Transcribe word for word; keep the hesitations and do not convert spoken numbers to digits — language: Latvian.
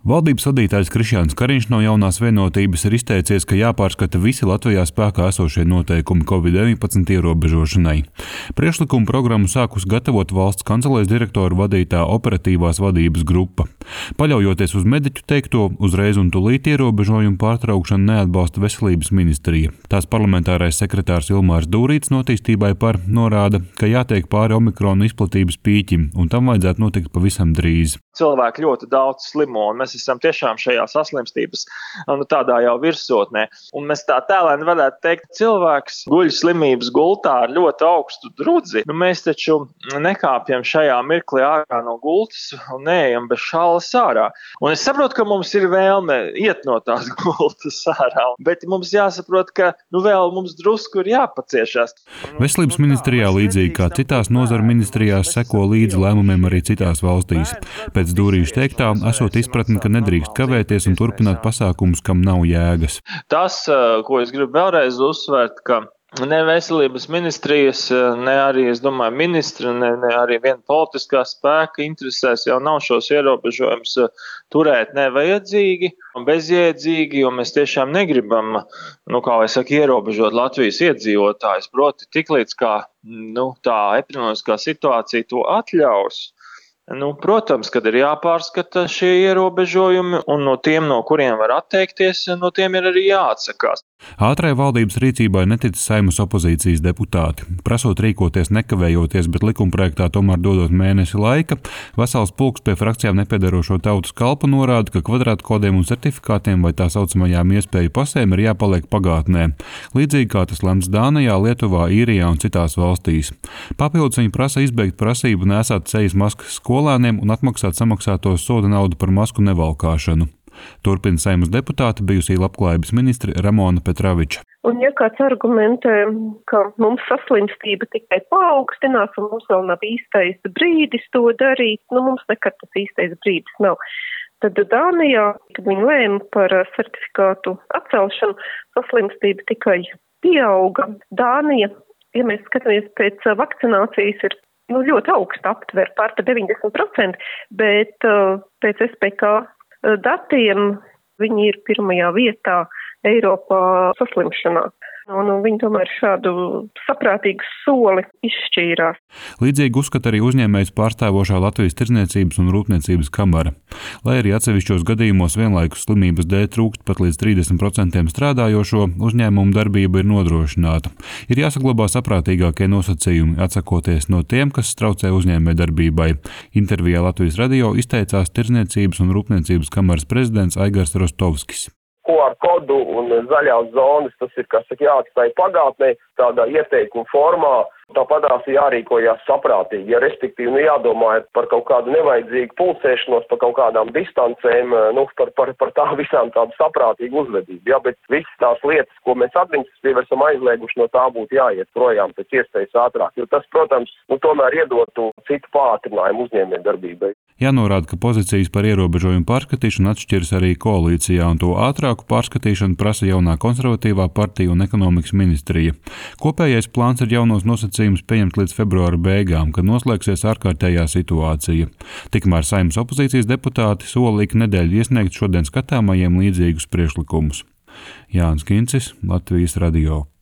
Valdības vadītājs Krišjāns Kariņš no Jaunās Vienotības ir izteicies, ka jāpārskata visi Latvijā spēkā esošie noteikumi covid deviņpadsmit ierobežošanai. Priekšlikumu programmu sākus gatavot valsts kancelēs direktora vadītā operatīvās vadības grupa. Paļaujoties uz mediķu teikto, uzreiz un tūlīt ierobežojumu pārtraukšanu neatbalsta Veselības ministrija. Tās parlamentārais sekretārs Ilmārs Dūrīts notīstībai par norāda, ka jātiek pāri omikrona izplatības pīķim, un tam vajadzētu notikt pavisam drīz. Cilvēki ļoti daudz slimo, un mēs esam tiešām šajā saslimstības nu, tādā jau virsotnē. Un mēs tā tēlēni varētu teikt, cilvēks guļ slimības gultā ar ļoti augstu drudzi. Nu, mēs taču nekāpjam šajā mirklī ārā no gultas un neejam bez šallas ārā. Un es saprotu, ka mums ir vēlme iet no tās gultas ārā, bet mums jāsaprot, ka nu, vēl mums drusku ir jāpaciešās. Veselības ministrijā līdzīgi kā citās nozaru ministrijās seko līdzi lēmumiem arī citās valstīs. Pēc Dūrīša teiktā, esot izpratni, ka nedrīkst kavēties un turpināt pasākumus, kam nav jēgas. Tas, ko es gribu vēlreiz uzsvērt, ka ne Veselības ministrijas, ne arī, es domāju, ministri, ne, ne arī viena politiskā spēka interesēs jau nav šos ierobežojumus turēt nevajadzīgi un bezjēdzīgi, jo mēs tiešām negribam, nu, kā es saku, ierobežot Latvijas iedzīvotājus. Proti, tiklīdz kā nu, tā epidemioloģiskā situācija to atļaus. Nu, protams, kad ir jāpārskata šie ierobežojumi, un no tiem, no kuriem var atteikties, no tiem ir arī jāatsakās. Ātrai valdības rīcībai netic Saeimas opozīcijas deputāti. Prasot rīkoties nekavējoties, bet likumprojektā tomēr dodot mēnesi laika, vesels pulks pie frakcijām nepiedarošo tautas kalpu norāda, ka kvadrātkodiem un certifikātiem vai tā saucamajām iespēju pasēm ir jāpaliek pagātnē. Līdzīgi kā tas lemts Dānijā, Lietuvā, Īrijā un citās valstīs. Papildus viņi prasa izbeigt prasību nesāt sejas maskas skolēniem un atmaksāt samaksāto soda naudu par masku nevalkāšanu. Turpina Saeimas deputāte bijusī labklājības ministre Ramona Petraviča. Un ja kāds argumentē, ka mums saslimstība tikai paaugstinās un mums vēl nav īstais brīdis to darīt, nu mums nekad tas īstais brīdis nav. Tad Dānijā, kad viņi lēma par certifikātu atcelšanu, saslimstība tikai pieauga. Dānija, ja mēs skatāmies pēc vakcinācijas, ir nu, ļoti augsta aptver, pār pa deviņdesmit procenti, bet uh, pēc S P K datiem viņi ir pirmajā vietā Eiropā saslimšanā. Un viņi tomēr šādu saprātīgu soli izšķīrās. Līdzīgi uzskata arī uzņēmējs pārstāvošā Latvijas Tirdzniecības un Rūpniecības kamara. Lai arī atsevišķos gadījumos vienlaikus slimības dēļ trūkst pat līdz trīsdesmit procentiem strādājošo, uzņēmumu darbība ir nodrošināta. Ir jāsaglabā saprātīgākie nosacījumi, atsakoties no tiem, kas traucē uzņēmējdarbībai. Intervijā Latvijas radio izteicās Tirdzniecības un Rūpniecības kamaras prezidents Aigars Rostovskis. Q R kodu un zaļās zonas, tas ir, kas saka, jāatstāj pagātnē, tādā ieteikuma formā, tāpatās jārīkojās saprātīgi, ja respektīvi nu, jādomā par kaut kādu nevajadzīgu pulsēšanos, par kaut kādām distancēm, nu, par, par, par tā visām tādu saprātīgu uzvedību, ja, bet visas tās lietas, ko mēs administratīvi esam aizlieguši, no tā būtu jāiet projām pēc iespējas ātrāk, jo tas, protams, nu, tomēr iedotu citu pātrinājumu uzņēmējdarbībai. Jānorāda, ka pozīcijas par ierobežojumu pārskatīšanu atšķiras arī koalīcijā, un to ātrāku pārskatīšanu prasa jaunā konservatīvā partija un ekonomikas ministrija. Kopējais plāns ir jaunos nosacījumus pieņemt līdz februāra beigām, kad noslēgsies ārkārtējā situācija. Tikmēr Saeimas opozīcijas deputāti sola ik nedēļu iesniegt šodien skatāmajiem līdzīgus priekšlikumus. Jānis Kincis, Latvijas radio.